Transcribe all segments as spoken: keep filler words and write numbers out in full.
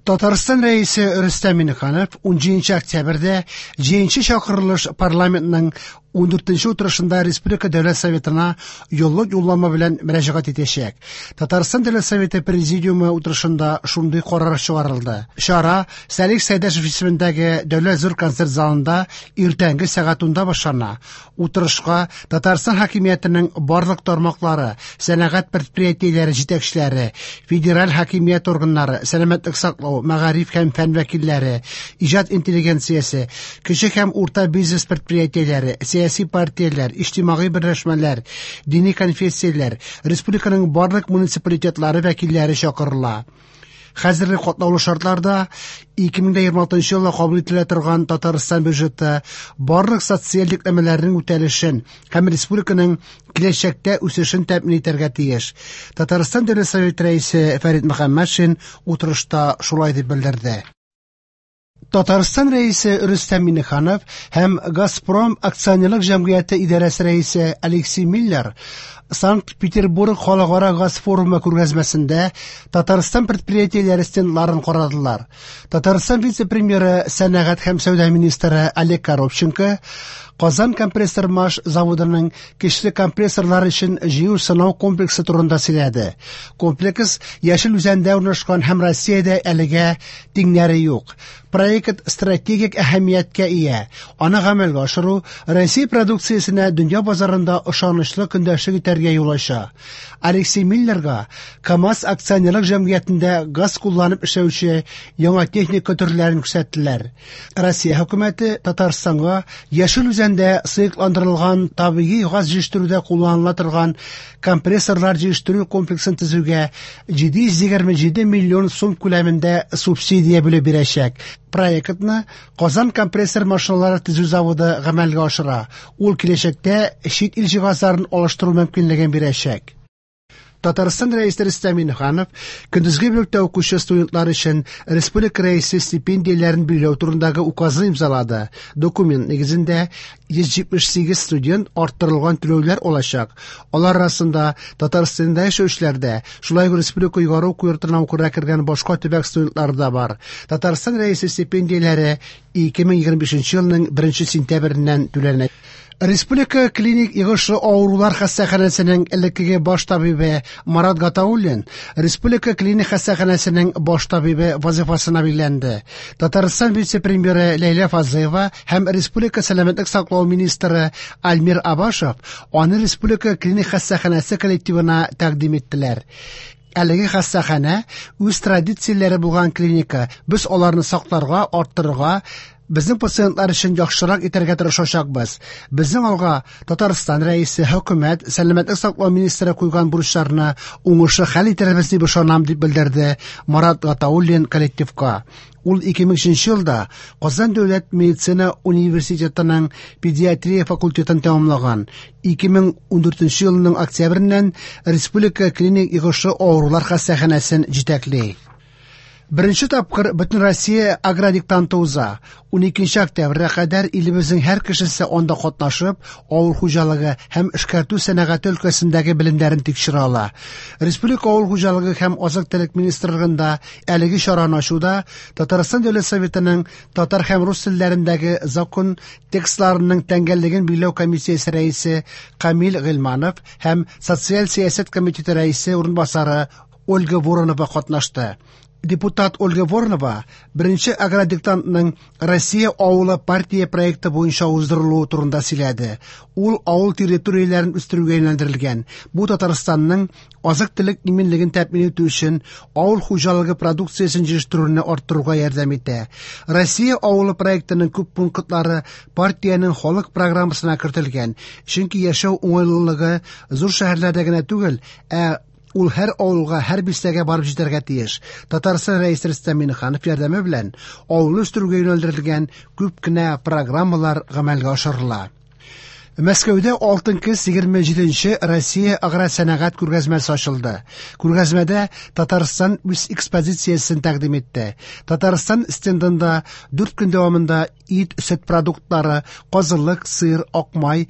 Татарстан Рәисе Рөстәм Миңнеханов унҗиденче октябрьдә җиденче чакырылыш парламентның ундүртенче утырышында Республика Дәүләт Советына юллык юллама белән мөрәҗәгать итәчәк. Татарстан Дәүләт Советы Президиумы утырышында шундый карар чыгарылды. Чара Салих Сәйдәшев исемендәге Дәүләт зур концерт залында иртәнге сәгать унда башлана. Утырышка Татарстан хакимиятенең барлык тармаклары, сәнәгать предприятиеләре җитәкчеләре, федераль хакимият органнары, сәламәтлек саклау, мәгариф һәм фән вәкилләре, иҗат интеллигенциясе, кече һәм урта бизнес предприятиеләре, сәяси партияләр, иҗтимагый берләшмәләр, дини конфессияләр, республиканың барлык муниципалитетлары вәкилләре чакырыла. Хәзерге катлаулы шартларда ике мең егерме алтынчы елда кабул ителә торган Татарстан бюджеты барлык социаль йөкләмәләрнең үтәлешен һәм республиканың киләчәктә үсешен тәэмин итәргә тиеш. Татарстан Дәүләт Советы рәисе Фәрит Мөхәммәтшин утырышта шулай дип белдерде. Татарстан рәисе Рөстәм Миңнеханов һәм Газпром акционерлык җәмгыяте идарәсе рәисе Алексей Миллер Санкт-Петербург халыкара газ форумы күргәзмәсендә Татарстан предприятиеләре стендларын карадылар. Татарстан вице-премьеры, сәнәгать һәм сәүдә министры Олег Коробченко Казан компрессор маш заводының көчле компрессорлар өчен җыю сынау комплексы турында сөйләде. Комплекс Яшел Үзәндә урнашкан һәм Россиядә әлегә тиңнәре юк. Проект стратегик әһәмияткә ия. Аны гамәлгә ашыру Россия продукциясенә дөнья базарында ышанычлы көндәшлек итәргә юл ача. Алексей Миллерга КАМАЗ акционерлык җәмгыятендә газ кулланып эшләүче яңа техника төрләрен күрсәттеләр. Россия хөкүмәте Татарстанга Яшел Үзәндә сыекландырылган табигый газ җитештерүдә кулланыла торган компрессорлар җитештерү комплексын төзүгә җиде йөз егерме җиде миллион сум күләмендә субсидия бүлеп бирәчәк. Проектны Казан компрессор машиналары төзү заводы гамәлгә ашыра. Ул киләчәктә чит ил җиһазларын алыштыру мөмкинлеген бирәчәк. Татарстан рәисе Рөстәм Миңнеханов көндезге бүлектә укучы студентлар өчен республика рәисе стипендияләрен билгеләү турындагы указны имзалады. Документ нигезендә йөз җитмеш сигез студент арттырылган түләүләр алачак. Алар арасында Татарстанда яшәүчеләр дә, шулай ук республика югары уку йортына укырга кергән башка төбәк студентлары да бар. Татарстан рәисе стипендияләре ике мең егерме бишенче елның беренче сентябреннән түләнә. Республика клиник йогышлы авырулар хастаханәсенең элеккеге баш табибы Марат Гатауллин Республика клиник хастаханәсенең баш табибы вазифасына билгеләнде. Татарстан вице-премьеры Ләйлә Фазлыева һәм Республика сәламәтлек саклау министры Альмир Абашев аны Республика клиник хастаханәсе коллективына тәкъдим иттеләр. Әлеге хастаханә үз традицияләре булган клиника. Без аларны сакларга, арттырырга, безнең пациентлар өчен яхшырак итәргә тырышачакбыз. Безнең алга Татарстан рәисе, хөкүмәт, сәламәтлек саклау министры куйган бурычларны уңышлы хәл итәрбез дип ышанам, дип белдерде Марат Гатауллин коллективка. Ул ике мең өченче елда Казан дәүләт медицина университетының педиатрия факультетын тәмамлаган. Ике мең ундүртенче елның октябреннән Республика клиник йогышлы авырулар хастаханәсен җитәкли. Беренче тапкыр Бөтен Россия агродиктанты уза. Уникенче октябрьгә кадәр илебезнең һәр кешесе анда катнашып, авыл хуҗалыгы һәм эшкәртү сәнәгате өлкәсендәге белемнәрен тикшерә ала. Республика авыл хуҗалыгы һәм азык-төлек министрлыгында әлеге чараны ачуда Татарстан Дәүләт Советының татар һәм рус телләрендәге закон текстларының тәңгәллеген билгеләү комиссиясе рәисе Камил Гыйльманов һәм Социаль сәясәт комитеты рәисе урынбасары Ольга Воронова катнашты. Депутат Ольга Воронова беренче агродиктантның Россия авылы партия проекты буенча уздырылуы турында сөйләде. Ул авыл территорияләрен үстерүгә юнәлдерелгән. Бу Татарстанның азык-төлек иминлеген тәэмин итү өчен авыл хуҗалыгы продукциясен җитештерүне арттыруга ярдәм итә. Россия авылы проектының күп пунктлары партиянең халык программасына кертелгән. Чөнки яшәү уңайлылыгы зур шәһәрләрдә генә түгел, ә ул һәр авылга, һәр бистәгә барып җитәргә тиеш. Татарстан рәисе Рөстәм Миңнеханов ярдәме белән авылны үстерүгә юнәлдерелгән күп кенә программалар гамәлгә ашырыла. Мәскәүдә алтын көз егерме җиденче Россия агросәнәгать күргәзмәсе ачылды. Күргәзмәдә Татарстан үз экспозициясен тәкъдим итте. Татарстан стендында дүрт көн дәвамында ит, сөт продуктлары, казылык, сыр, акмай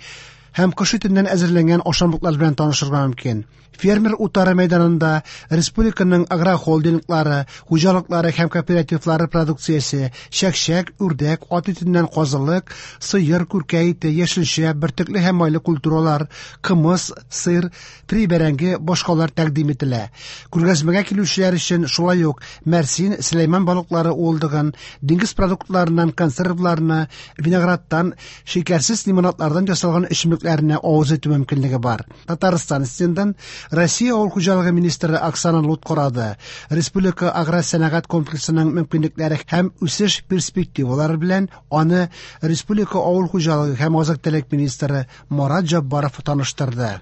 һәм кош итеннән әзерләнгән ашамлыклар белән танышырга мөмкин. Фермер утары мәйданында республиканың агрохолдинглары, хуҗалыклары һәм кооперативлары продукциясе, чәк-чәк, үрдәк, ат итеннән казылык, сыер, күркә ите, яшелчә, бөртекле һәм майлы культуралар, кымыз, сыр, фри бәрәңге, башкалар тәкъдим ителә. Күргәзмәгә килүчеләр өчен шулай ук мәрсин, Сөләйман балыклары уылдыгын, диңгез продуктларыннан консервларны, виноградтан, шикәрсез лимонадлардан ясалган эчемлекләрне авыз итү мөмкинлеге бар. Татарстан стендын Россия авыл хуҗалыгы министры Оксана Лут карады. Республика аграр сәнәгать комплексының мөмкинлекләре һәм үсеш перспективалары белән аны Республика авыл хуҗалыгы һәм азык-төлек министры Марат Җаббаров таныштырды.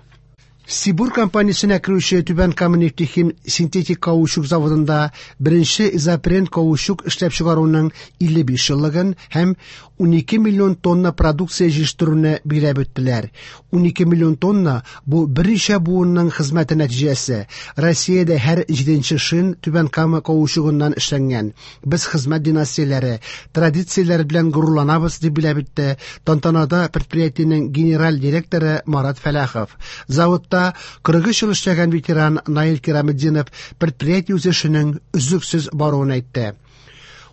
Сибур компаниясенә керүче Түбән Кама нефтехим синтетик каучук заводында беренче изопрен каучук эшләп чыгаруның илле биш еллыгын һәм унике миллион тонна продукция җитештерүне билгеләп үттеләр. Унике миллион тонна бу берничә буынның хезмәте нәтиҗәсе. Россиядә һәр җиденче шин Түбән Кама каучугыннан эшләнгән. Без хезмәт династияләре, традицияләр белән горурланабыз, дип билгеләп үтте тантанада предприятиенең генераль директоры Марат Фәләхов. Заводта кырык өч ел эшләгән ветеран Наил Кираметдинов предприятие үсешенең өзлексез баруын әйтте.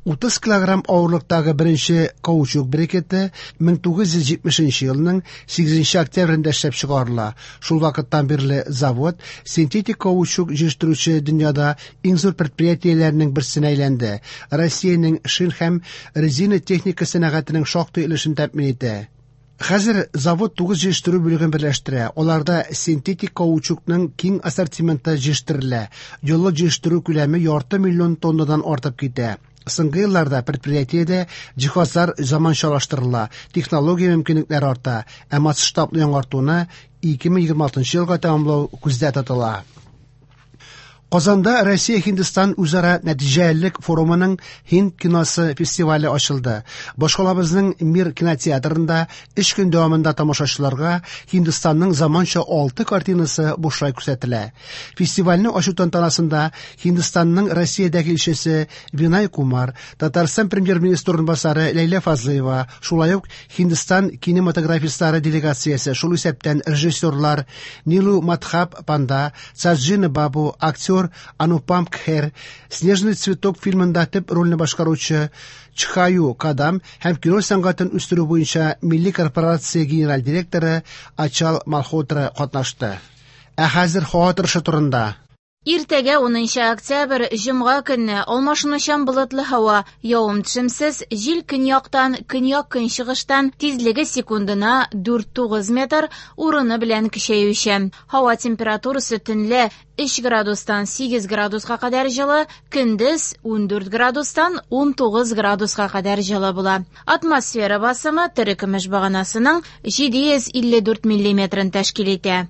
Утыз килограмм авырлыктагы беренче каучук брикеты мең тугыз йөз җитмешенче елның сигезенче октябрендә эшләп чыгарыла. Шул вакыттан бирле завод синтетик каучук җитештерүче дөньяда иң зур предприятиеләрнең берсенә әйләнде. Россиянең шин һәм резина техника сәнәгатенең шактый өлешен тәэмин итә. Хәзер завод тугыз җитештерү бүлеген берләштерә. Аларда синтетик каучукның киң ассортименты җитештерелә. Еллык җитештерү күләме ярты миллион тоннадан артып китә. Соңгы елларда предприятиедә җиһазлар заманчалаштырыла, технология мөмкинлекләре арта, ә масштаблы яңартуны ике мең егерме алтынчы елга тәмамлау күздә тотыла. Казанда Россия-Һиндстан үзара нәтиҗәлелек форумының Һинд киносы фестивале ачылды. Башкалабызның Мир кинотеатрында өч көн дәвамында тамашачыларга Һиндстанның заманча алты картинасы бушлай күрсәтелә. Фестивальне ачу тантанасында Һиндстанның Россиядәге илчесе Винай Кумар, Татарстан премьер-министры урынбасары Ләйлә Фазлыева, шулай ук Һиндстан кинематографистлары делегациясе, шул исәптән режиссерлар Нилу Мадхаб Панда, Саджина Бабу, актер Анупам Кхер, Снежный цветок фильмында төп рольне башкаручы Чхаю Кадам һәм кино сәнгатен үстерү буенча милли корпорация генераль директоры Ачал Малхотра катнашты. Ә хәзер һава торышы турында. Иртәгә унынчы октябрь, җомга көнне алмашынучан болытлы һава, явым-төшемсез, җил көньяктан, көньяк-көнчыгыштан, тизлеге секундына дүрт тугыз метр, урыны белән көчәючән. Һава температурасы төнлә өч градустан сигез градуска кадәр җылы, көндез ундүрт градустан унтугыз градуска кадәр җылы була. Атмосфера басымы терекөмеш баганасының җиде йөз илле дүрт миллиметрын тәшкил итә.